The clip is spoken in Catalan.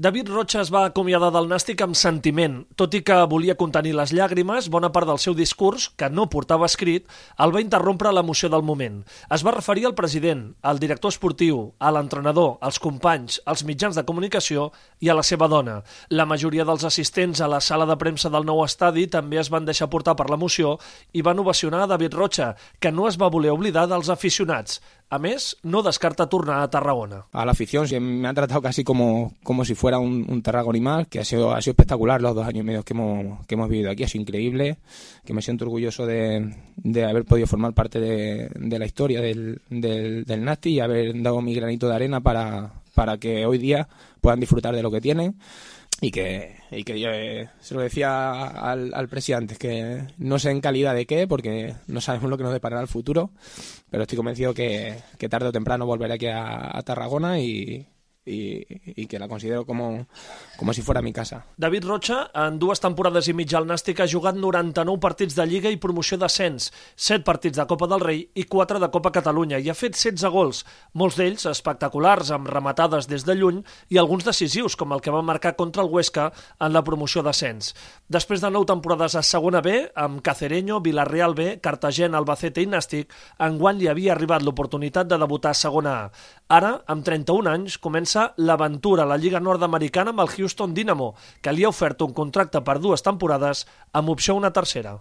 David Rocha es va acomiadar del Nàstic amb sentiment. Tot i que volia contenir les llàgrimes, bona part del seu discurs, que no portava escrit, el va interrompre l'emoció del moment. Es va referir al president, al director esportiu, a l'entrenador, als companys, als mitjans de comunicació i a la seva dona. La majoria dels assistents a la sala de premsa del nou estadi també es van deixar portar per l'emoció i van ovacionar a David Rocha, que no es va voler oblidar dels aficionats. A més, no descarta tornar a Tarragona. A la afición me han tratado casi como si fuera un Tarragoni más, que ha sido espectacular los 2 años y medio que hemos vivido aquí. Ha sido increíble, que me siento orgulloso de haber podido formar parte de la historia del Nàstic y haber dado mi granito de arena para que hoy día puedan disfrutar de lo que tienen. Y que yo se lo decía al presidente, que no sé en calidad de qué, porque no sabemos lo que nos deparará el futuro, pero estoy convencido que tarde o temprano volveré aquí a Tarragona y que la considero como si fuera mi casa. David Rocha, en 2 temporades i mitja al Nàstic, ha jugat 99 partits de Lliga i promoció d'ascens, 7 partits de Copa del Rei i 4 de Copa Catalunya, i ha fet 16 gols, molts d'ells espectaculars, amb rematades des de lluny i alguns decisius, com el que va marcar contra el Huesca en la promoció d'ascens. Després de 9 temporades a Segona B, amb Cacereño, Villarreal B, Cartagena, Albacete i Nàstic, enguany li havia arribat l'oportunitat de debutar a Segona A. Ara, amb 31 anys, comença l'aventura a la Lliga Nord-Americana amb el Houston Dynamo, que li ha ofert un contracte per 2 temporades amb opció a una tercera.